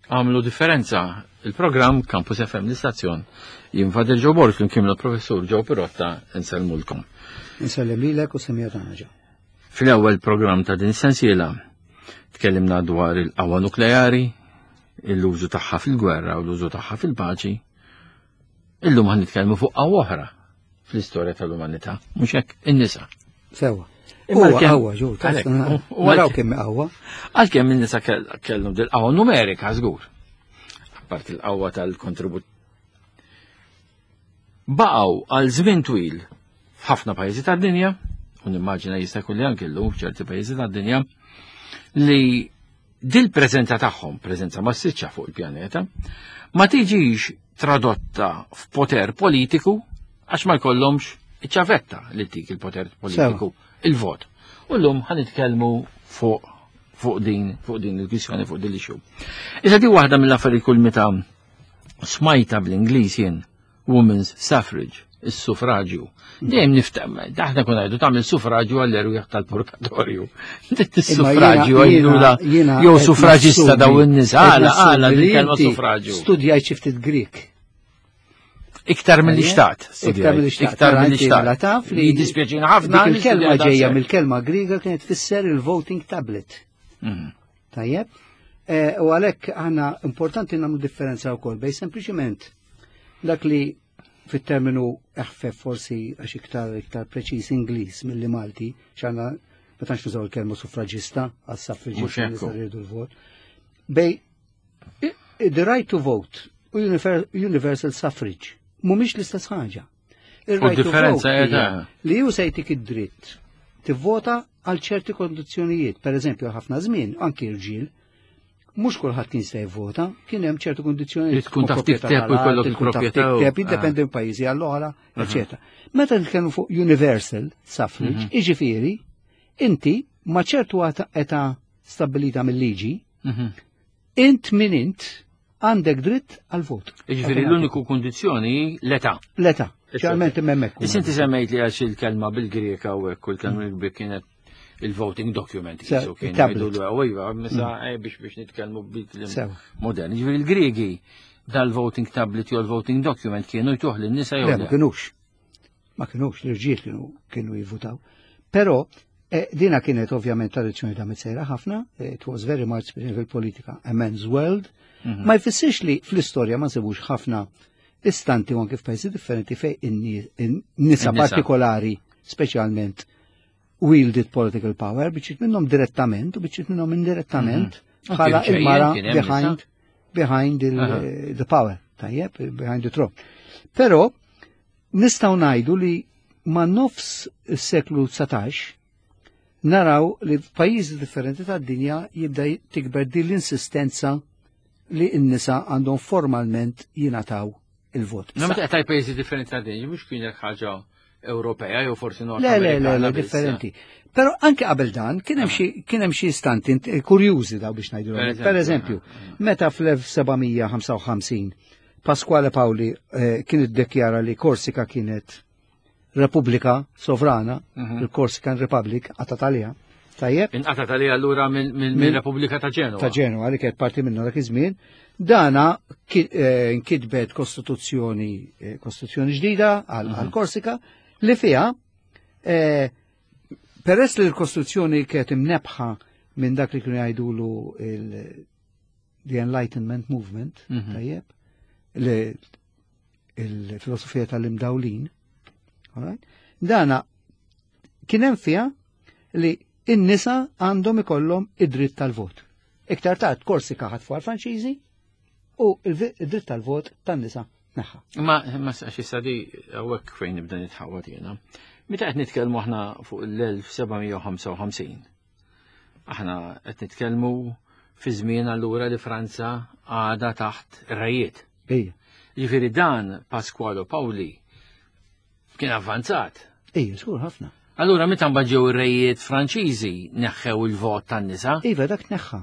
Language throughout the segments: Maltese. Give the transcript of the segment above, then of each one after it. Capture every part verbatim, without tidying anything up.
Għamlu differenza. Il-programm Campus F M l-istazzjon. Jien Father Joe Borg flimkien mal-professur Joe Pirotta insellmulkom. Insellem lilek u semija tagħna ġew. Fl-ewwel programm ta' din is-sensiela tkellimna dwar il-qawwa nukleari, l-użu tagħha fil-gwerra u l-użu tagħha fil-paċi. Illum ħan nitkellmu fuq qawwa oħra fl-istorja tal-umanità, mhux hekk, in-nisa. Sewa. Imma Huwa għalkemm- qawwa ġur, Għalhekk, u- u naraw għalkemm- kemm qawwa. Għalkemm in-nisa kell- kellhom dil-qawwa numerika żgur. Apart il-qawwa tal-kontribut. Baqgħu għal żmien twil f'ħafna pajjiżi tad-dinja, u nimmaġina jista' jkun li anke llum f'ċerti pajjiżi tad-dinja, li dil-preżenza tagħhom, preżenza massiċċa fuq il-pjaneta, ma tiġix tradotta f'poter politiku għax ma jkollhomx iċ-ċavetta li tik il-poter politiku, il-vot. U llum ħa nitkellmu fuq fuq din fuq din il-kwistjoni, fuq din l-issue. Issa di waħda mill-affarijiet kull meta smajta bl-Ingliż jien women's suffrage, is-suffraġju. Dejjem niftem, aħna kun ngħidu tagħmel suffraġju għall-erwieħ tal-purgatorju. Is-suffraġju għajdula jew suffraġista daw in-nies, għala għala din kelma suffraġju. Studjajt xi ftit Grik. Iktar mill-li xtaqt. Iktar mill-li xtaqt. Iktar Mela mill-li inti xtaqt. mela taf li Jiddispjaċina ħafna. Dik li il-kelma studjajt ġejja daqshekk. mill-kelma Griega kienet tfisser il-voting tablet. Mhm. Tajjeb? Eh, U għalhekk aħna importanti nagħmlu differenza wkoll bejn sempliċiment dak li fit-terminu eħfef forsi għax iktar iktar preċiż Ingliż milli Malti, x'għandna ma tantx nużaw il-kelma suffraġista għas Mhux suffraġista hekk hu. li jridu l-vot. Bejn i- the right to vote u univer- universal suffrage mhumiex l-istess ħaġa. Il-right to differenza vote hija hija li ju se jtik id-dritt tivvota għal ċerti kondizzjonijiet, per eżempju ħafna żmien anki rġiel mhux kulħadd kien se jivvota, kien hemm ċertu kondizzjonijiet. Li tkun taf proprjetà tikteb u tal-art, jkollok li tkun taf il-proprjetà u- tikteb, ah. jiddependi minn pajjiżi għall-oħra, eċetera. Meta nitkellmu fuq universal suffrage, jiġifieri, inti ma ċertu għata- età stabbilita mill-liġi, Mhm. int min int għandek dritt għal vot. Jiġifieri l-uniku kundizzjoni l-età. L-età, ċarment hemmhekk. Issa inti semmejt li għax il-kelma bil-Greka u hekk u l-kelma bil-Greka kienet il-voting document. Se- qisu kien tablet. jgħidu l iva, misa eh, biex biex nitkellmu bil-kliem Sewa. modern. Jiġifieri il-Griegi dal-voting tablet jew l-voting document kienu jtuh lin-nisa jew Le, ma le. kienux. Ma kienux, l-irġiel kienu kienu jivvutaw. Però eh, dina kienet ovvjament tradizzjoni ta' sejra ħafna, eh, it was very much fil-politika a man's world. Mhm. Ma jfissirx li fl-istorja ma nsibux ħafna istanti u anke f'pajjiżi differenti fej in-nisa In-nisa. partikolari, speċjalment wielded political power, biċċiet minnhom direttament u biċċiet minnhom indirettament Mhm. bħala Anke ġejjin il-mara kien hemm behind behind il, Aha. the power, tajjeb, behind the throne. Però nistgħu ngħidu li ma' nofs is-seklu dsatax naraw li f'pajjiżi differenti tad-dinja jibda tikber din l-insistenza li n-nisa għandhom formalment jingħataw il-vot. No, meta qed pajjiżi differenti ta' dinja, mhux kienet ħaġa Ewropea jew forsi Nord Le, le, le, Amerikana le, biss. differenti. Però anke qabel dan, kien hemm xi kien hemm xi istanti int- kurjużi daw biex ngħidu. Per Per eżempju, meta fl-elf seba' mija ħamsa u ħamsin Pasquale Paoli eh, kien iddekjara li Korsika kienet Repubblika sovrana, Mhm. il-Corsican Republic, qatat għaliha. Tajjeb, Inqatat għalija allura minn min, Min- Repubblika ta' Ġenova. Ta' Ġenova li kienet parti minnu dak iż-żmien, dana ki- eh, nkitbet kostituzzjoni eh, kostituzzjoni ġdida għal għal Korsika li fiha eh, peress li l-kostituzzjoni kienet imnebħa minn dak li kienu jgħidulu il the Enlightenment Movement, Mhm. tajjeb, li il-filosofija tal-imdawlin, alright? Dana kien hemm fiha li in-nisa għandhom ikollhom id-dritt tal-vot. Iktar tard Korsika ħatfu għal-Franċiżi u il-dritt tal-vot tan-nisa neħħa. Ma, ma għax issa di hawnhekk fejn nibda nitħawat jiena. Meta qed nitkellmu aħna fuq l-elf seba' mija ħamsa u ħamsin, aħna qed nitkellmu fi żmien allura li Franza għadha taħt ir-rejiet. Ejja, Jiġifieri dan Pasquale Paoli kien avvanzat. Ejja, żgur ħafna. Allura meta mbagħad ġew ir-rejiet Franċiżi neħħew il-vot tan-nisa. Iva, dak neħħa.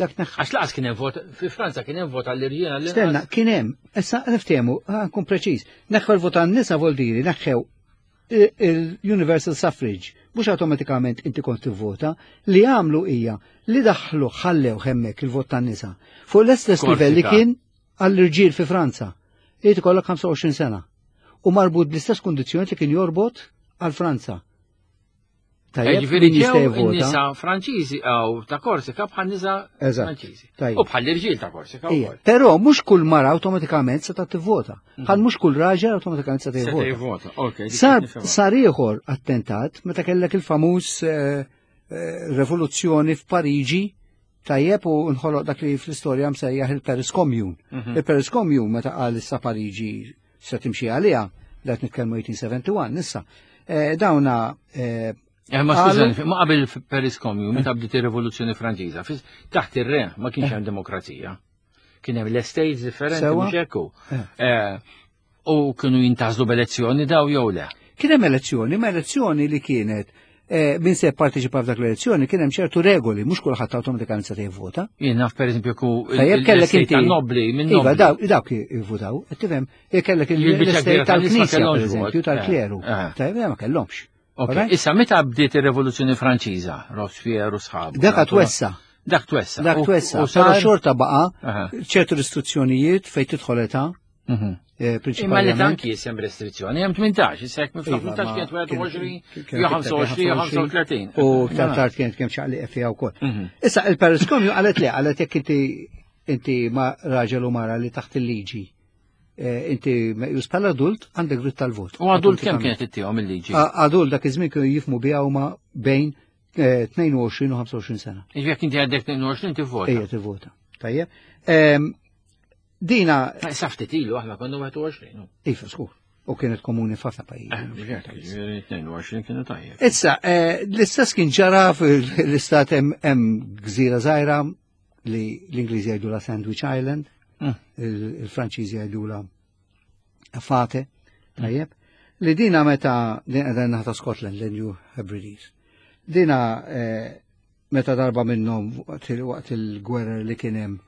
Dak neħħa. Għax laqas kien hemm vot fi Franza, kien hemm vot għall-irġiel għall Stenna, kien hemm, issa niftehmu, nkun preċiż. Neħħew il-vot tan-nisa vol diri, neħħew Il-universal suffrage, mhux awtomatikament inti kont tivvota, li għamlu hija li daħlu ħallew hemmhekk il-vot tan-nisa. Fuq l-istess livell li kien għall-irġiel fi Franza. Irid ikollok ħamsa u għoxrin sena. U marbut bl-istess kundizzjoni li kien jorbot għal Franza. Tajjeb, ġifieri ġew nisa Franċiżi għaw ta' Korsika bħal nisa Franċiżi. U bħal irġiel ta' Korsika wkoll. Però mhux kull mara awtomatikament se ta' tivvota. Mhm. Bħal mhux kull raġel awtomatikament se tivvota. Sar sar ieħor attentat meta kellek il-famuż eh, eh, rivoluzzjoni f'Pariġi, tajjeb, u nħoloq dak li fl-istorja msejjaħ il-Paris Commune. Mhm. Il-Paris Commune meta qal issa Pariġi se timxi għaliha, qed nitkellmu elf disa' mija u wieħed u sebgħin nissa. Eh, dawna Eh, ma skużani, ma qabel Paris Commune, meta bdiet ir-Rivoluzzjoni Franċiża, taħt ir-re ma kienx hemm demokrazija. Kien hemm l-estates differenti, mhux hekk. Eh, u kienu jintgħażlu b'elezzjoni daw jew le? Kien hemm elezzjoni, ma elezzjoni li kienet eh, min se parteċipa f'dak l-elezzjoni kien hemm ċertu regoli, mhux kulħadd awtomatikament se jivvota. Jien naf, pereżempju, ku Tajjeb, kellek inti nobli minn Iva, dawk jivvotaw, tifhem, kellek l-estate tal-Knisja, pereżempju, tal-kleru. Tajjeb, ma kellhomx. Issa, meta bdiet ir-Revoluzzjoni Franċiża, Robespierre u sħabu? Dak twessa. Dak twessa. Dak twessa. Però xorta baqa ċertu restrizzjonijiet fejn tidħol età. Mhm. Eh, Imma li tanki jisem restrizzjoni, hemm tmintax, issa jekk miflaħ tmintax kienet wieħed u għoxrin, jew ħamsa u għoxrin, jew ħamsa u tletin. U ktar tard kienet kemm ċaqli fiha wkoll. Mhm. Issa il-Paris Commune qalet li qalet jekk inti inti ma raġel u mara li taħt il-liġi eh, inti meqjus bħala adult, għandek dritt tal-vot. U adult kemm kienet ittihom il-liġi? Adult dak iż-żmien kienu jifhmu biha huma bejn tnejn u għoxrin u ħamsa u għoxrin sena. Jekk inti għandek tnejn u għoxrin tivvota. Ejja, tivvota. Tajjeb. Dina. Sa ftit ilu aħna konna wieħed u għoxrin. Iva, skur. U kienet komuni f'ħafna pajjiżi. tnejn u għoxrin kienu tajjeb. Issa, eh, l-istess kien ġara fl-istat, hemm gżira żgħira li l-Ingliżi jgħidu la Sandwich Island, mm. il-Franċiżi jgħidu la Efate, tajjeb, li dina meta din qiegħda naħta Scotland, l-New Hebrides. Dina eh, meta darba minnhom waqt il-gwerra li kien hemm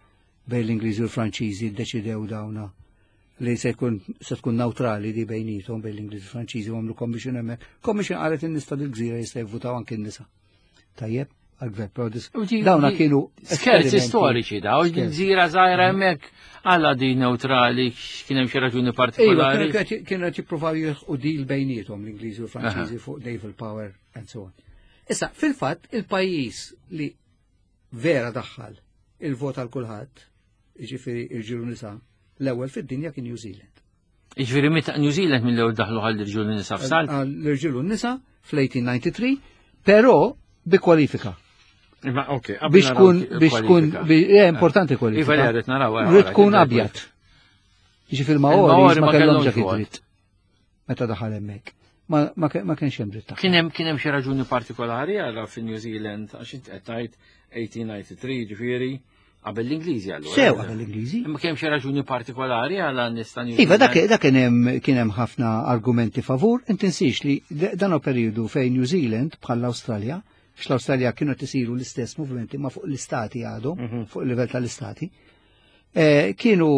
bejn l-Ingliżi u l-Franċiżi ddeċidew dawna li se jkun se tkun neutrali di bejnietom, bejn l-Ingliżi u l-Franċiżi, u għamlu commission hemmhekk. Commission qalet in-nies tal-gżira jista' jivvutaw anke n-nisa. Tajjeb, għal-gvern. Dawna kienu. Skerzi storiċi daw, gżira żgħira hemmhekk għala di neutrali, kien hemm xi raġuni partikolari. Iva, kienu qed jippruvaw jilħqu deal bejnietom l-Ingliżi u l-Franċiżi fuq naval power and so on. Issa, fil-fatt, il-pajjiż li vera daħħal il-vot għal kulħadd, jiġifieri irġiel u nisa, l-ewwel fid-dinja kien New Zealand. Jiġifieri meta New Zealand mill-ewwel daħlu għall irġiel u nisa f'salt? L-irġiel u nisa fl-elf disa' mija u tnejn u disgħin, però bi kwalifika. Biex tkun, biex tkun, eh, importanti kwalifika. Iva, li naraw. Rrid tkun abjad. Jiġifieri il-Maori ma kellhomx dak id-dritt. Meta daħal hemmhekk. Ma kienx hemm dritt. Kien hemm kien hemm xi raġuni partikolari għala fi New Zealand, għax int qed tgħid elf disa' mija u tnejn u disgħin, ġifieri qabel l-Ingliżi allura? Sew qabel l-Ingliżi. Imma kemm xi raġuni partikolari għala nista' Iva, dak dak kien hemm kien hemm ħafna argumenti favur, intinsix li dan periodu fejn New Zealand bħal l-Awstralja, għax l-Awstralja kienu tisiru l-istess movimenti ma fuq l-istati għadhom, mhm. fuq il-livell tal-istati. Eh, kienu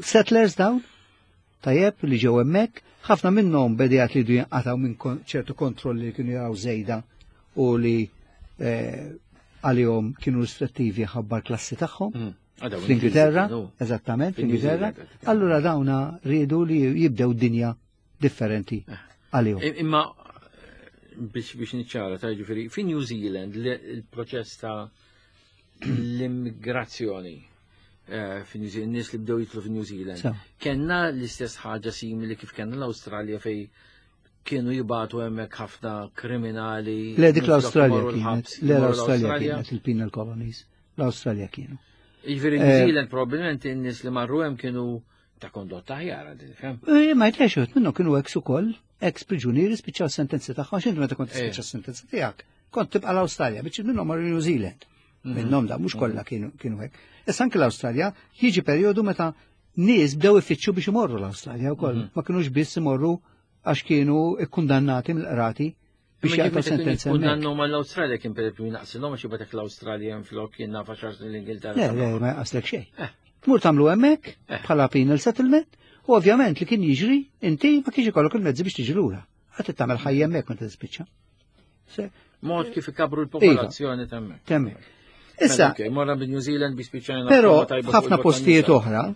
settlers dawn, tajjeb, li ġew hemmhekk, ħafna minnhom bedijat li jinqataw minn ċertu kontrolli li kienu jaraw żejda u li eh, għalihom kienu restrittivi ħabba l-klassi tagħhom. Mm. Ah, Fl-Ingilterra, eżattament, fl-Ingilterra. Allura dawna riedu li jibdew dinja differenti eh. għalihom. Imma biex biex niċċara ta' ġifieri, fi New Zealand il-proċess ta' l-immigrazzjoni eh, fi New Zealand, nies li bdew jitlu fi New Zealand, kenna l-istess ħaġa simili kif kenna l-Awstralja fej kienu jibagħtu hemmhekk ħafna kriminali? Le, dik l-Awstralja kienet, le, l-Awstralja kienet il-penal colonies, l-Awstralja kienu. Jiġifieri New eh, Zealand probabbilment in-nies li marru hemm kienu ta' kondotta aħjar, fem? Eh, ma jtlex, minnu kienu ex ukoll, ex priġunieri spiċċaw sentenzi tagħhom, x'inti meta kont tispiċċa sentenza tiegħek, kont tibqa' l-Awstralja, biex minnhom marru New Zealand. Mhm. Minnhom da mhux kollha kienu kienu hekk. Issa anke l-Awstralja jiġi perjodu meta nies bdew ifittxu biex imorru l-Awstralja wkoll. Mhm. Ma kinux biss imorru għax kienu ikkundannati mill-qrati biex jagħtu sentenza. Kundannu mal-Awstralja kien per esempio jnaqsilhom għax jibatek l-Awstralja flok jien naf għaxar l-Ingilterra. Le, le, ma jaqaslek xejn. Eh. Tmur tagħmlu hemmhekk eh. bħala penal settlement u ovvjament li kien jiġri inti ma kienx ikollok il-mezzi biex tiġi lura. Għad tagħmel ħajja hemmhekk meta tispiċċa. Se- Mod kif ikabru l-popolazzjoni t'hemmhekk. T'hemmhekk. Issa, Mela, ok, morna bi New Zealand bi spiċċajna però tajba fuq f'ħafna il-vot postijiet tan-nisa. oħra,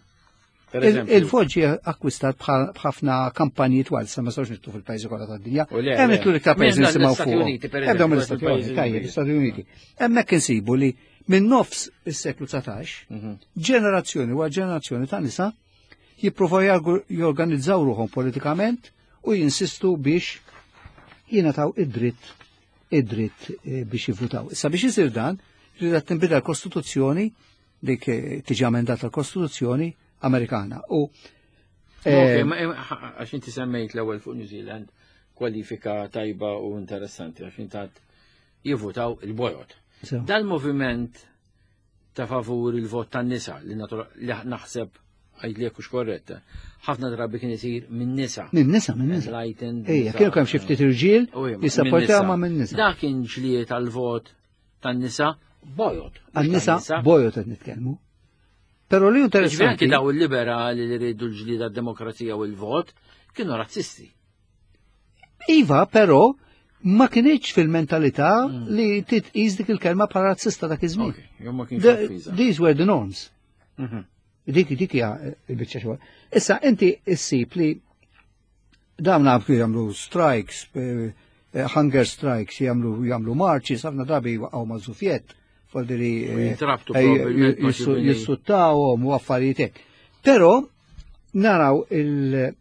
Per il- eżempju. il-vot ġie akkwistat bħal- b'ħafna kampanji twal, sa ma sawx nidħlu fil-pajjiżi kollha tad-dinja. U le, Hemm le. nidħlu l-iktar pajjiżi Minn nisimgħu l-Istati fuq. Uniti, per Ebdew eżempju, mill-Istati il-pajjiżi Uniti, tajjeb, kbir. l-Istati Uniti. Hemmhekk insibu li minn nofs is-seklu dsatax, Mhm. ġenerazzjoni wara ġenerazzjoni ta' nisa jippruvaw jargu- jorganizzaw ruħhom politikament u jinsistu biex jingħataw id-dritt id-dritt eh, biex jivvutaw. Issa biex isir dan, rida tinbidel l-Kostituzzjoni, dik eh, tiġi emendata l-Kostituzzjoni Amerikana. U Ok, eh, ma- eh, għax inti semmejt l-ewwel fuq New Zealand kwalifika tajba u interessanti għax inti għad jivvutaw il-bojod. so, Dal-moviment ta' favur il-vot tan-nisa li natura- li naħseb għajd li hux korretta, ħafna drabi kien isir minn nisa. minn nisa, minn nisa. Enlightened Ejja, nisa. kienu kemm xi ftit irġiel U ija, jissapportaw minn ma minn nisa. Dak kien ġlied għal-vot tan-nisa bojod. mhux Għan-nisa tan-nisa. bojod qed nitkellmu. Però li Ġifieri interessanti. anki daw il-liberali li rridu l-ġlieda demokrazija u l-vot kienu razzisti. Iva, però ma kienx fil-mentalità Mm. li titqis dik il-kelma bħala razzista dak iż-żmien. Ok, jew ma kienx The- offiża. These were the norms. Mhm. Dik dik hija il-biċċa xogħol. Issa inti issib li dawn naf jagħmlu strikes, eh, eh, hunger strikes, jagħmlu jagħmlu marches, ħafna drabi waqgħu ma' żufjett, foldiri U jintrabtu probabbilment ma' xi bini. jissuttawhom u affarijiet hekk. Però naraw il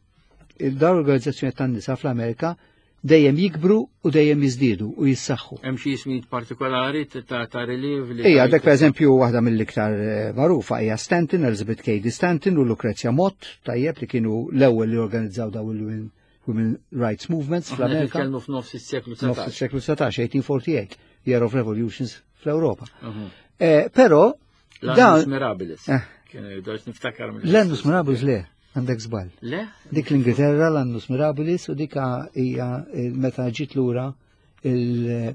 il-dawn organizzazzjoni tan-nisa fl-Amerika dejjem jikbru u dejjem jiżdiedu u jissaħħu. Hemm xi ismijiet partikolari ta' ta' relief li. Ija, dak per eżempju waħda mill-iktar eh, magħrufa hija Stanton, Elizabeth Cady Stanton u Lucrezia Mott, tajjeb li kienu l-ewwel li organizzaw daw il-Women Women Rights Movements Aħna fl-Amerika. nitkellmu f'nofs is-seklu Nofs dsatax. is-seklu dsatax, eighteen forty-eight, Year of Revolutions fl-Ewropa. Mhm. Eh, Però L-Annus dan Mirabilis. Eh. Kienu jgħidu niftakar mill- L-Annus Mirabilis le, għandek żball. Le? Dik l-Ingilterra l-Annus Mirabilis u dika hija eh, meta ġiet lura il-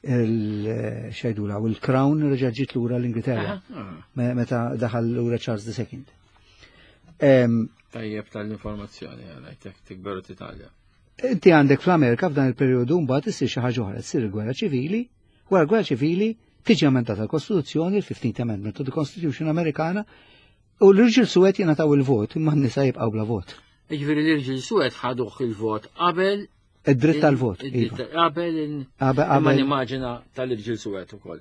il xajdula u l-Crown reġa' ġiet lura l-Ingilterra. Aha. Me- meta daħal lura Charles the Second. Em, Tajjeb tal-informazzjoni għalajtek tikberu titgħallem. Inti għandek fl-Amerika f'dan il-perjodu mbagħad issir xi ħaġa oħra, ssir il-gwerra ċivili, wara l-gwerra ċivili tiġi emendata l-Kostituzzjoni, il-fifteenth Amendment to the Constitution Amerikana, u l-irġiel suwed jingħataw il-vot, imma n-nisa jibqgħu bla vot. Jiġifieri l-irġiel suwed ħaduh il-vot qabel Id-dritt tal-vot. id-dritt Iva. Qabel in- Qabel Imma qabel nimmaġina tal-irġiel suwed ukoll.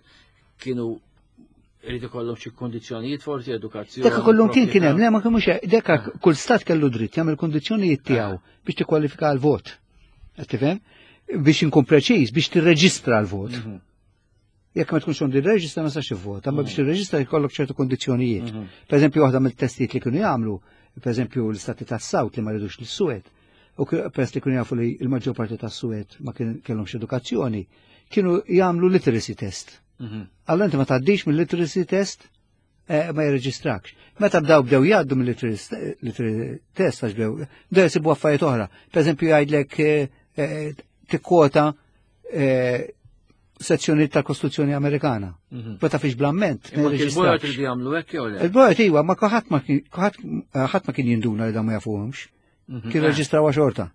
Kienu irid ikollhom xi kondizzjonijiet forsi edukazzjoni. Dekka kollum kien kien hemm, proprjetà. le ma kienux hekk, dekka kull stat kellu dritt jagħmel kondizzjonijiet tiegħu biex tikkwalifika għal-vot. Qed tifhem? Biex inkun preċiż, biex tirreġistra l-vot. Mhm. Jekk ma tkunx għandi reġistra ma sax ivvota, ma biex tirreġistra jkollok ċertu kondizzjonijiet. Mhm. Per eżempju, waħda mill-testijiet li kienu jagħmlu, per eżempju l-istati tas-South li ma ridux l-Suwed, u k- peress li kienu jafu li l-maġġor parti tas-Suwed ma kien kellhomx edukazzjoni, kienu jagħmlu literacy test. Mhm. Allora inti ma tgħaddix mill-literacy test eh, ma jirreġistrakx. Meta bdew bdew jgħaddu mill-literacy test għax bdew bdew jsibu affarijiet oħra. Per eżempju jgħidlek eh, eh, tikkwota eh, sezzjoni tal-Kostituzzjoni Amerikana. Mhm. Ma tafix bl-amment. ma Imma kien il-bojod jirreġistrakx. iridu jagħmlu hekk jew le? Il-bojod iwa, ma ħadd ma kien ħadd ħadd ma kien jinduna li dan ma jafuhomx. Mhm. Kien reġistraw xorta.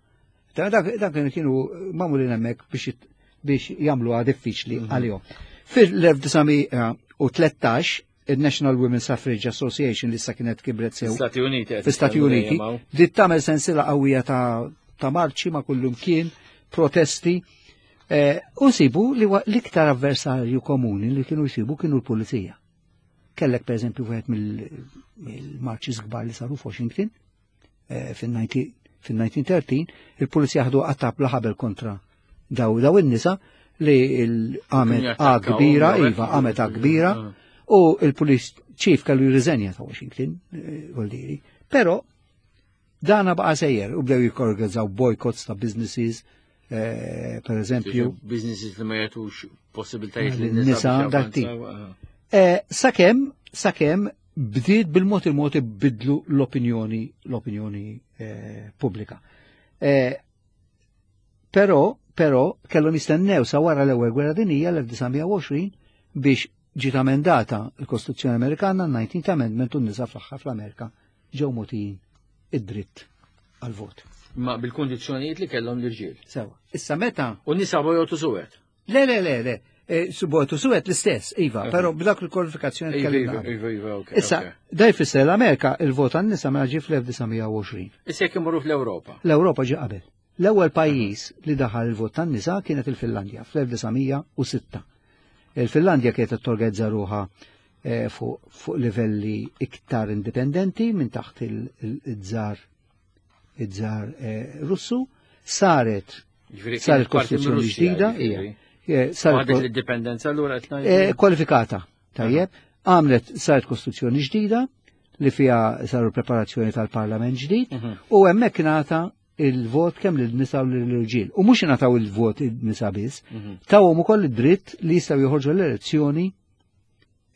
Da- Dak dak kienu magħmulin hemmhekk biex jit- biex jagħmluha diffiċli għalihom. Fil-elf disa' mija u tlettax il-National Women's Suffrage Association li issa kienet kibret sew Stati Uniti. qed fi-Stati nitkellmu Uniti, dejjem hawn. bdiet tagħmel sensila qawwija ta' ta' marċi ma' kullum kien, protesti, eh, u sibu li wa- l-iktar avversarju komuni li kienu jsibu kienu l-pulizija. Kellek per eżempju wieħed mill- mill-marċi kbar li saru f'Washington eh, fil-elf disa' mija u tlettax, il-pulizija ħadu qatta bla ħabel kontra daw daw in-nisa li għamet Kienu A jattakkawhom, kbira, jew hekk. iva, għamet A kbira, Ah. u il-police chief kellu jirriżenja ta' Washington, eh, vuol Però dana baqa sejjer u bdew jikorganizzaw boycotts ta' businesses, eh, per eżempju. Businesses li ma jagħtux possibilitajiet Lin- lin-nisa nisa biex dak tip. javvanzaw, ah. Eh, Sakemm, sakemm bdiet bil-mod il-mod bidlu l-opinjoni l-opinjoni eh, pubblika. Eh, Però, però, kellhom jistennew sa wara l-ewwel gwerra dinjija l-elf disa' mija u għoxrin biex ġiet amendata l-Kostituzzjoni Amerikana, nineteenth Amendment, u n-nisa fl-aħħar fl-Amerika ġew mogħtijin id-dritt għal-vot. Ma bil-kundizzjonijiet li kellhom l-irġiel. Sewa. Issa meta? U nisa bojot u suwed. Le, le, le, le. Subot u suwed l-istess, iva, però b'dak il-kwalifikazzjoni tkellimna. Iva, iva, ok. Issa, da jfisser l-Amerika il-vot għan-nisa mela ġie fl-elf disa' mija u għoxrin. Issa jekk imorru fl-Ewropa. L-Ewropa ġie qabel. L-ewwel pajjiż li daħal il-vot tan-nisa kienet il-Finlandja fl-elf disa' mija u sitta. Il-Finlandja kienet torganizza ruħha fuq livelli iktar indipendenti minn taħt il-żar il-żar Russu, saret saret kostituzzjoni ġdida, saret l-indipendenza allura qed ngħidu. Kwalifikata, tajjeb, għamlet saret kostituzzjoni ġdida li fiha saru preparazzjoni tal-parlament ġdid u hemmhekk ingħata il-vot kemm lin-nisa u lill-irġiel. U mhux ingħataw il-vot in-nisa biss, tawhom ukoll id-dritt li jistgħu joħorġu l-elezzjoni,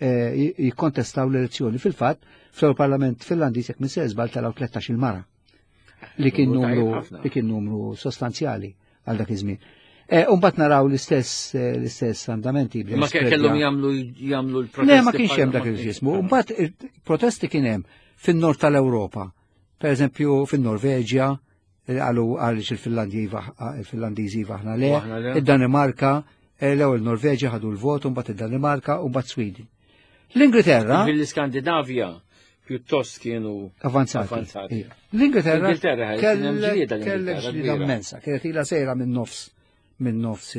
jikkontestaw l-elezzjoni. Fil-fatt, fl-Parlament Finlandiż jekk minn żball telgħu tlettax il-mara li kien numru li kien numru sostanzjali għal dak iż-żmien. U mbagħad naraw l-istess l-istess andamenti. Ma kellhom jagħmlu jagħmlu l-protesti. Le, ma kienx hemm dak il-ġismu. Mbagħad protesti kien hemm fin-nord tal-Ewropa. Per eżempju fin-Norveġja, għalu għaliex il-Finlandiżi iva aħna le, id-Danimarka, l-ewwel Norveġja ħadu l-vot, u mbagħad id-Danimarka u mbagħad Sweden. L-Ingilterra. Fil-Skandinavja pjuttost kienu avanzati. L-Ingilterra kellek ġlieda immensa, kienet ilha sejra minn nofs minn nofs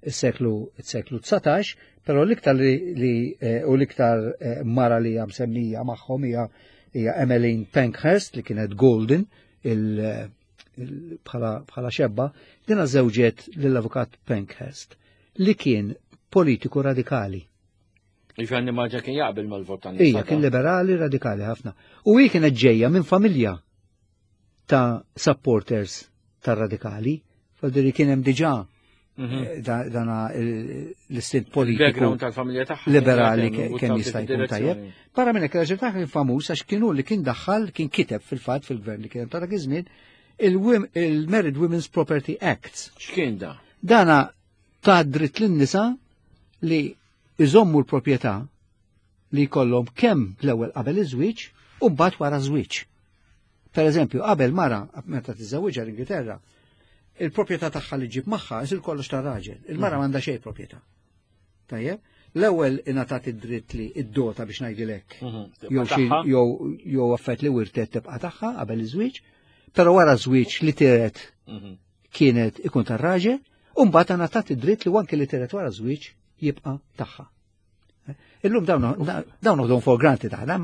il-seklu il-seklu dsatax, però l-iktar li u l-iktar mara li hija msemmija magħhom hija hija Emmeline Pankhurst li kienet Golden bħala xebba, dina żewġet lill-avukat Pankhurst li kien politiku radikali. Jiġifieri maġa kien jaqbel mal-vot tan-nisa. Ija, kien liberali radikali ħafna. U hi kienet ġejja minn familja ta' supporters tar-radikali, faldiri kien hemm diġà dana l-istint politiku liberali kemm jista' jkun tajjeb. Barra minn hekk ir-raġel tagħha kien famuż għax kienu li kien daħħal, kien kiteb fil-fatt fil-gvern li kien ta' dak iż-żmien il-Married Women's Property Act. X'kien da? Dana ta' dritt lin-nisa li iżommu l-proprjetà li jkollhom kemm l-ewwel qabel iż-żwieġ u mbagħad wara żwieġ. Per eżempju, qabel mara meta tiżżewwiġha l-Ingilterra, il-proprjetà tagħha li ġib magħha isir kollox tar-raġel. Il-mara m'għandha xejn proprjetà. Tajjeb? L-ewwel ingħatat id-dritt li id-dota biex ngħidilek. Jew jew affett li wirtet tibqa' tagħha qabel iż-żwieġ, però wara żwieġ li tiret kienet ikun tar-raġel, u mbagħad ingħatat id-dritt li anke li tiret wara żwieġ jibqa' tagħha. Illum dawn dawn noħdhom for granted aħna,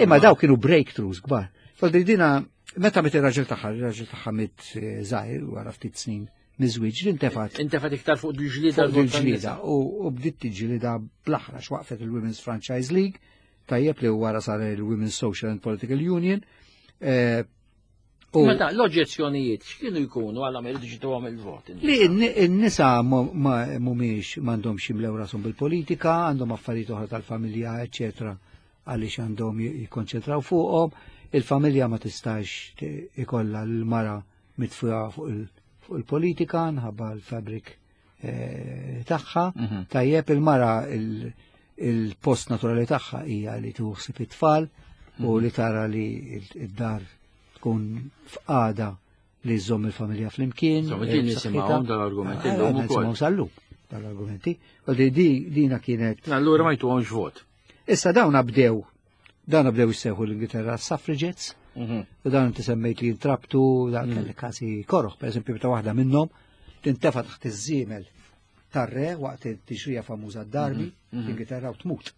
imma daw kienu breakthroughs kbar. Faldri dina meta mit ir-raġel tagħha, ir-raġel tagħha mit żgħir wara ftit snin miżwieġ, intefat. Intefat iktar fuq il-ġlieda il-ġlieda u bdiet tiġġielida bl-aħrax waqfet il-Women's Franchise League, tajjeb li wara sar il-Women's Social and Political Union. Ma ta' l-oġġezzjonijiet x'kienu jkunu għal ma jridux jituhom il-vot? Li n-nisa mhumiex m'għandhomx jimlew rashom bil-politika, għandhom affarijiet oħra tal-familja, eċetera, għaliex għandhom jikkonċentraw fuqhom. Il-familja ma tistax ikollha l-mara mitfuha fuq il-politika nħabba l-fabrik tagħha. Tajjeb il-mara il-post naturali tagħha hija li tuħsib it-tfal u li tara li d-dar tkun f'qagħda li żżomm il-familja flimkien. Nisimgħuhom dal-argumenti llum ukoll. Nisimgħu sal-lum dal-argumenti. Dina kienet. Allura ma jtuhomx vot. Issa dawn bdew dawn bdew jissejħu l-Ingilterra suffragettes, u dawn inti semmejt li jintrabtu, dan kelli każi koroħ, per eżempju ta' waħda minnhom tintefa' taħt iż-żiemel tar-re waqt it-tixrija famuża d-Darby l-Ingilterra u tmut.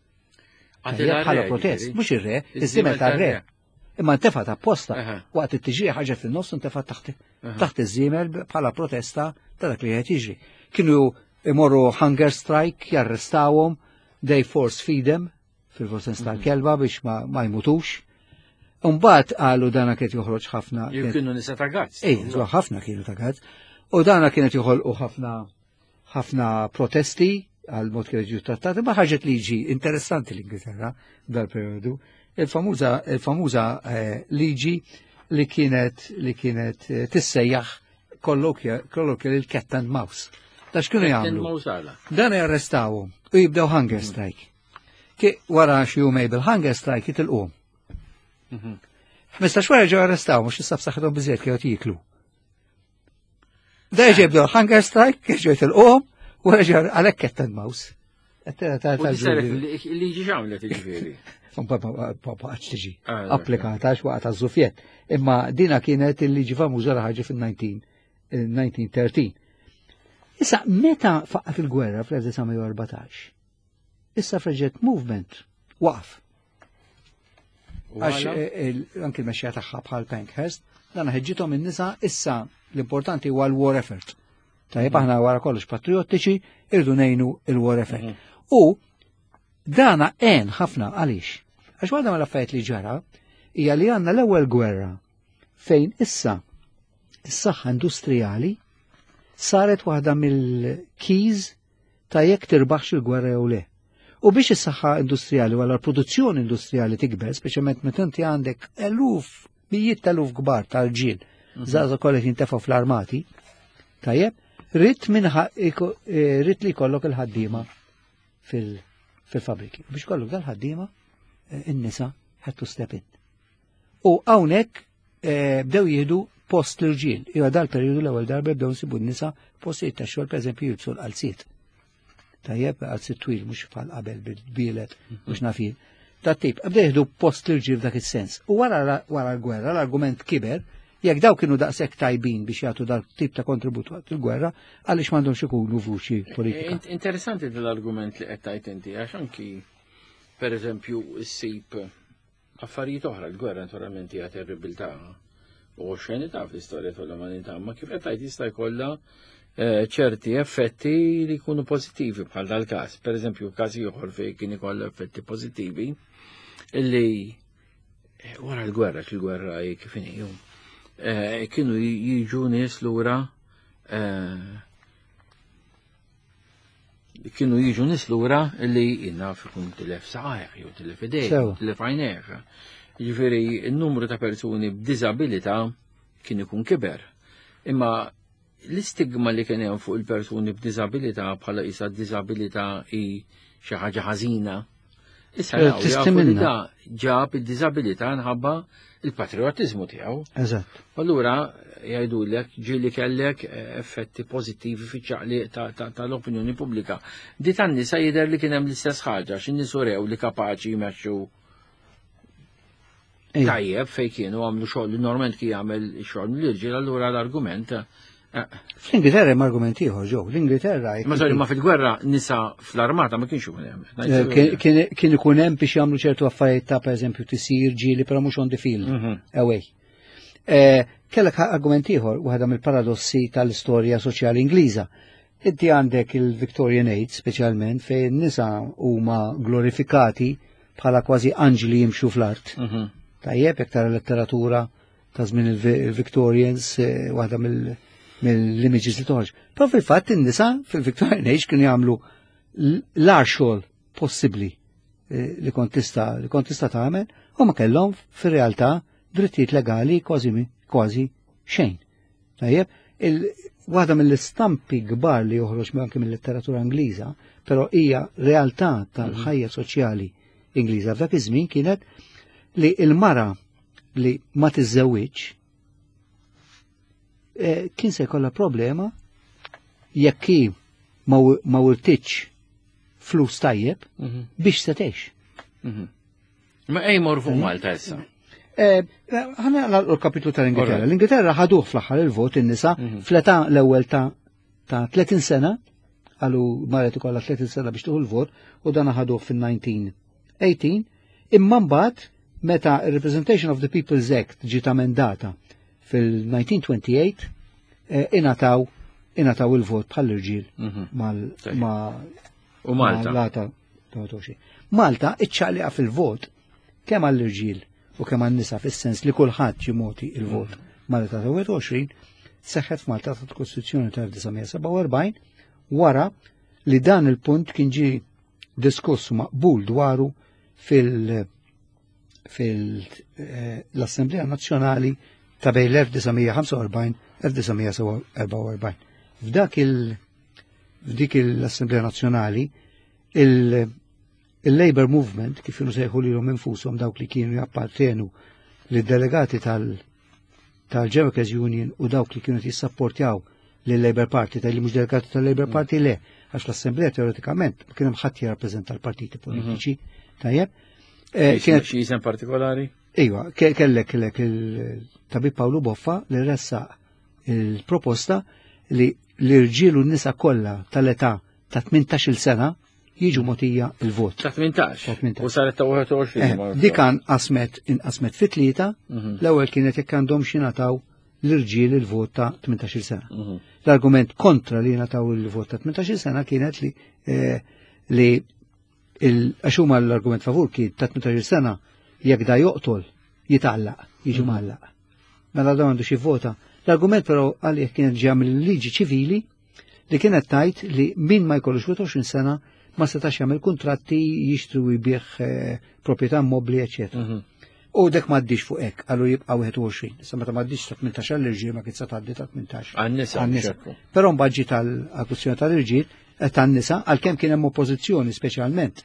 Bħala protest, mhux ir-re, iż-żiemel tar-re. Imma ntefat apposta waqt it-tiġrija ħaġa fin-nofs ntefat taħt taħt iż-żiemel bħala protesta ta' dak li qed jiġri. Kienu imorru hunger strike, jarrestawhom, they force feed them fil-sens tal-kelba biex ma jmutux. Mbagħad qalu dana kienet joħroġ ħafna. Kienu nisa ta' gazz. Ej, ħafna kienu ta' gazz. U dana kienet joħolqu ħafna ħafna protesti għal mod kienet ġew trattati, ma ħaġet liġi interessanti l-Ingilterra dal-periodu. Il-famuża il-famuża liġi li kienet li kienet tissejjaħ colloquial il-cat and mouse. Da x'kienu jagħmlu? Dan jarrestawhom u jibdew hunger strike. Ki wara xi jumej bil-hunger strike jitilquhom. Ħmistax wara ġew arrestaw, mhux issa b'saħħithom biżejjed kienu jieklu. Da ġebdu hunger strike, ġew jitilquhom, wara ġew għalhekk cat and mouse. Liġi x'għamlet ġifieri? Ma tiġi ah, applikata għax waqt għaż-żufjett. Imma dina kienet il-liġi famuża li ħarġet fil-elf disa' mija u tlettax. Issa, meta faqqat il-gwerra fl-elf disa' mija u erbatax, is-suffragette movement waqf. Għax eh, anki l-mexxija tagħha bħal Pankhurst, dan ħeġġithom in-nisa, issa l-importanti huwa l-war effort. Tajjeb, aħna wara kollox patriottiċi, irdu ngħinu il-war effort. Mhm. U dana għen ħafna. Għaliex? Għax waħda mill-affarijiet li ġara hija li għandna l-ewwel gwerra fejn issa is-saħħa industrijali saret waħda mill-keys ta' jekk tirbaħx il-gwerra jew le. U biex is-saħħa industrijali wara l-produzzjoni industrijali tikber, speċjalment meta inti għandek eluf, mijiet eluf kbar tal-ġil, mhm. żgħażagħ kollha jintefgħu fl-armati, tajjeb, ridt minn eh, ridt li jkollok il-ħaddiema fil-fabriki. Biex kollok dal-ħaddiema, eh, in-nisa had to step in. U hawnhekk eh, bdew jieħdu post l-irġiel. Iwa dal-periodu l-ewwel darba bdew nsibu n-nisa postijiet ta' xogħol, pereżempju jilbsu l-qalziet. Tajjeb, qalziet twil, mhux bħal qabel bil-bielet, mhux nafin. Ta' tip, bdew jieħdu post l-irġiel f'dak is-sens. U wara wara l-gwerra l-argument kiber: jekk daw kienu daqshekk tajbin biex jagħtu dal tip ta' kontribut waqt il-gwerra, għaliex m'għandhomx ikunu vuċi politika? Interessanti dal-argument li qed tajt inti, għax anki pereżempju ssib affarijiet oħra. L-gwerra naturalment hija terribilità u xenità fl-istorja tal-umanità, ma kif qed tgħid jista' jkollha eh, ċerti effetti li jkunu pożittivi bħal dal-każ. Per eżempju, każ ieħor fejn kien ikollha effetti pożittivi illi eh, wara l-gwerra, il-gwerra kif inhi, eh, kienu jiġu nies lura eh, kienu jiġu nies lura li jinnaf ikun tilef saqajh, jew tilef idejh, tilef għajnejh. Ġifieri, il-numru ta' persuni b'diżabilità kien ikun kiber. Imma l-istigma li kien hemm fuq il-persuni b'diżabilità bħala isa diżabilità hi xi ħaġa ħażina. Issa Eh, jafu li Tistimilna. da ġab id-diżabilità nħabba il-patriotizmu tiegħu. Eżatt. Allura jgħidulek ġieli kellek eh, effetti pożittivi fiċ-ċaqliq tal-opinjoni pubblika. Di tan-nisa jidher li kien hemm l-istess ħaġa, x'in-nies urew li kapaċi jmexxu Ejja. tajjeb fej kienu għamlu xogħol li normalment kien jagħmel xogħol mill-irġiel, allura l-argument eh, Fl-Ingilterra hemm argument ieħor ġew. L-Ingilterra Ma sorry, ma fil-gwerra nisa fl-armata ma kienx ikun hemm. Eh, kien- kien kien ikun hemm biex jagħmlu ċertu affarijiet ta' pereżempju tisir ġieli, però mhux on the field. Mhm. Away. Eh, Kellek argument ieħor, waħda mill-paradossi tal-istorja soċjali Ingliża. Inti għandek il-Victorian Age speċjalment fejn nisa huma glorifikati bħala kważi anġli jimxu fl-art. Mhm. Tajjeb, jekk tara letteratura ta' żmien il-Victorians, eh, waħda mill- mill-images li toħroġ. Però fil-fatt in-nisa fil-Victorian Age kienu jagħmlu l-agħar xogħol possibbli eh, li kont tista' li kont tista' tagħmel u ma kellhom fir-realtà drittijiet legali kważi mi- kważi xejn. Tajjeb, il- waħda mill-istampi kbar li joħroġ anke mill-letteratura Ingliża, però hija realtà tal-ħajja soċjali Ingliża f'dak iż-żmien, kienet li il-mara li ma tiżżewwiġ eh, kien se jkollha problema jekk hi ma ma wirtitx flus tajjeb Mhm. biex se tgħix. Mhm. Ma ej mor fuq Malta issa. Eh, Ħana l-kapitlu tal-Ingilterra. Alright. L-Ingilterra ħaduh fl-aħħar il-vot in-nisa Mhm. fl-età l-ewwel ta' ta' tletin sena, għalu mara ikollha tletin sena biex tieħu l-vot, u dan ħaduh fil-elf disa' mija u tmintax, imma mbagħad meta il-Representation of the People's Act ġiet amendata fil-elf disa' mija u tmienja u għoxrin, eh, ingħataw ingħataw il-vot bħall-irġiel Mhm. mal Tajjeb. ma' U Malta. Malta. Malta iċċaqliqa fil-vot kemm għall-irġiel u kemm għan-nisa, fis-sens li kulħadd ġie mogħti il-vot mal-età ta' wieħed u għoxrin, seħħet f'Malta ta' Kostituzzjoni ta' elf disa' mija u sebgħa u erbgħin wara li dan il-punt kien ġie diskuss u maqbul dwaru fil- fil-Assemblea Nazzjonali ta' bejn l-elf disa' mija u ħamsa u erbgħin u elf disa' mija u erbgħa u erbgħin. F'dak il- f'dik l-Assemblea Nazzjonali il- il-Labor Movement, kif kienu sejħu lilhom infushom dawk li kienu jappartenu li delegati tal- tal-Workers Union u dawk li kienu jissapportjaw lill-Labour Party, tal-li mhux delegati tal-Labour mm. Party le, għax l-Assemblea teoretikament kien hemm ħadd jirrappreżenta l-partiti politiċi, mhm. tajjeb. Eh, kienet xi isem partikolari? Iva, kellek kellek il-tabib Pawlu Boffa li ressaq il-proposta li l-irġiel u n-nisa kollha tal-età ta' tmintax-il sena jiġu mogħtija il-vot. Ta' tmintax. U saret ta' wieħed u għoxrin. Eh, dik inqasmet inqasmet fi tlieta, mhm. l-ewwel kienet jekk għandhom xi nataw l-irġiel il-vot ta' tmintax-il sena. Mhm. L-argument kontra li nataw il-vot ta' tmintax-il sena kienet li eh, li għax huma l-argument favur kien ta' tmintax-il sena jekk da joqtol jitgħallaq, jiġu mhm. mgħallaq. Mela da għandu xi vota. L-argument però għalih kienet ġeja mill-liġi ċivili li kienet tajt li min ma jkollux wieħed u għoxrin sena ma setax jagħmel kuntratti, jixtri u jbigħ eh, proprjetà mobbli, eċetera. Mhm. U dek m'għaddix fuq hekk, għallu jibqa' wieħed u għoxrin. Issa meta m'għaddix ta' tmintax għall-irġiel, ma kien tgħaddi ta' tmintax. Għan-nisa. Però mbagħad ġiet tal-kwistjoni tal-irġiel, eh, tan-nisa, għalkemm kien hemm oppożizzjoni speċjalment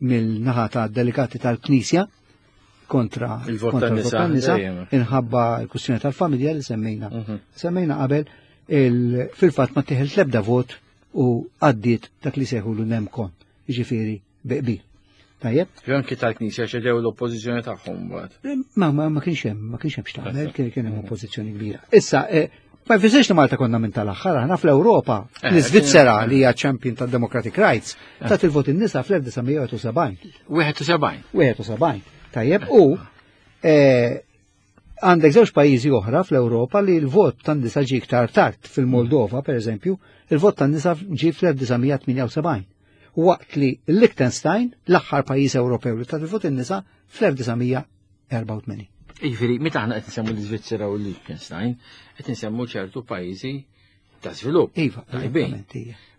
mill-naħa ta' delegati tal-Knisja kontra il-vot tan-nisa, inħabba l-kwistjoni tal-familja li semmejna. Mhm. Semmejna qabel, fil-fatt ma tieħel l-ebda vot u għaddiet dak li sejħu l-nem kon, ġifieri bi qbil. Tajjeb? Jo anki tal-Knisja ċedew l-oppożizzjoni tagħhom mbagħad. Ma ma ma kienx hemm, ma kienx hemm x'tagħmel, kien kien hemm oppożizzjoni kbira. Issa, eh, ma jfissirx li Malta konna minn tal-aħħar, aħna fl-Ewropa, eh, l-Iżvizzera li hija champion tad-democratic rights, eh. tat il-vot in-nisa fl-elf disa' mija u sebgħin. wieħed u sebgħin. wieħed u sebgħin. Tajjeb, u għandek żewġ pajjiżi oħra fl-Ewropa li l-vot tan-nisa ġie iktar tard. Fil-Moldova, per eżempju, il-vot tan-nisa ġie fl-elf disa' mija tmienja u sebgħin. Waqt li Liechtenstein, l-aħħar pajjiż Ewropew li tat il-vot in-nisa fl-elf disa' mija erbgħa u tmenin. Jiġifieri, meta aħna qed nsemmu l-Iżvizzera u l-Liechtenstein, qed nsemmu ċertu pajjiżi ta' żvilupp. Iva,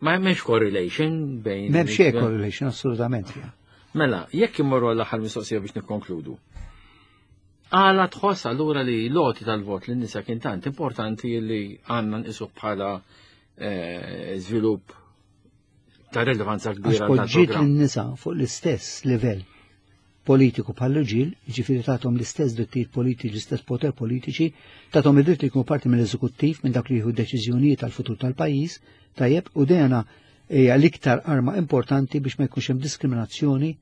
Ma hemmx correlation bejn. M'hemm xejn correlation, assolutament. Mela, jekk immorru l-aħħar mistoqsija biex nikkonkludu. Għala tħoss allura li l-għoti tal-vot lin-nisa kien tant importanti li għandna nqisu bħala eh, żvilupp ta' rilevanza kbira? Għax poġġiet lin-nisa fuq l-istess livell politiku bħall-irġiel, ġifieri tagħhom l-istess drittijiet politiċi, l-istess poter politiċi, tagħhom id-dritt li jkunu parti mill-eżekuttiv, minn dak li jieħu deċiżjonijiet tal-futur tal-pajjiż, tajjeb, u dejna hija l-iktar arma importanti biex ma jkunx hemm diskriminazzjoni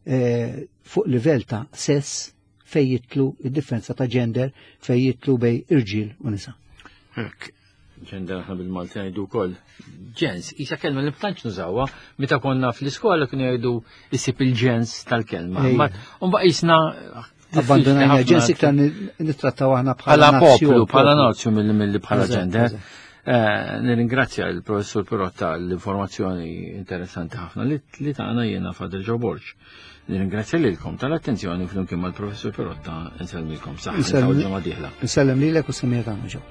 eh, fuq livell ta' sess fej jidħlu id-differenza ta' gender, fej jidħlu bejn irġiel u nisa. Hekk, gender aħna bil-Malti ngħidu wkoll ġens, isa kelma li tantx nużawha. Meta konna fl-iskola kienu jgħidu issib il-ġens tal-kelma. U mbagħad qisna abbandonajna ġens, iktar nittrattaw aħna bħala poplu, bħala nazzjon milli bħala gender. Eh, nirringrazzja il-professur Pirotta l-informazzjoni interessanti ħafna li tagħna. Jiena Father Joe Borg. Nirringrazzja lilkom tal-attenzjoni, flimkien mal-professur Pirotta nsellmilkom saħħa ġimgħa dieħla. Nsellem lilek u semmijiet tagħna ġew.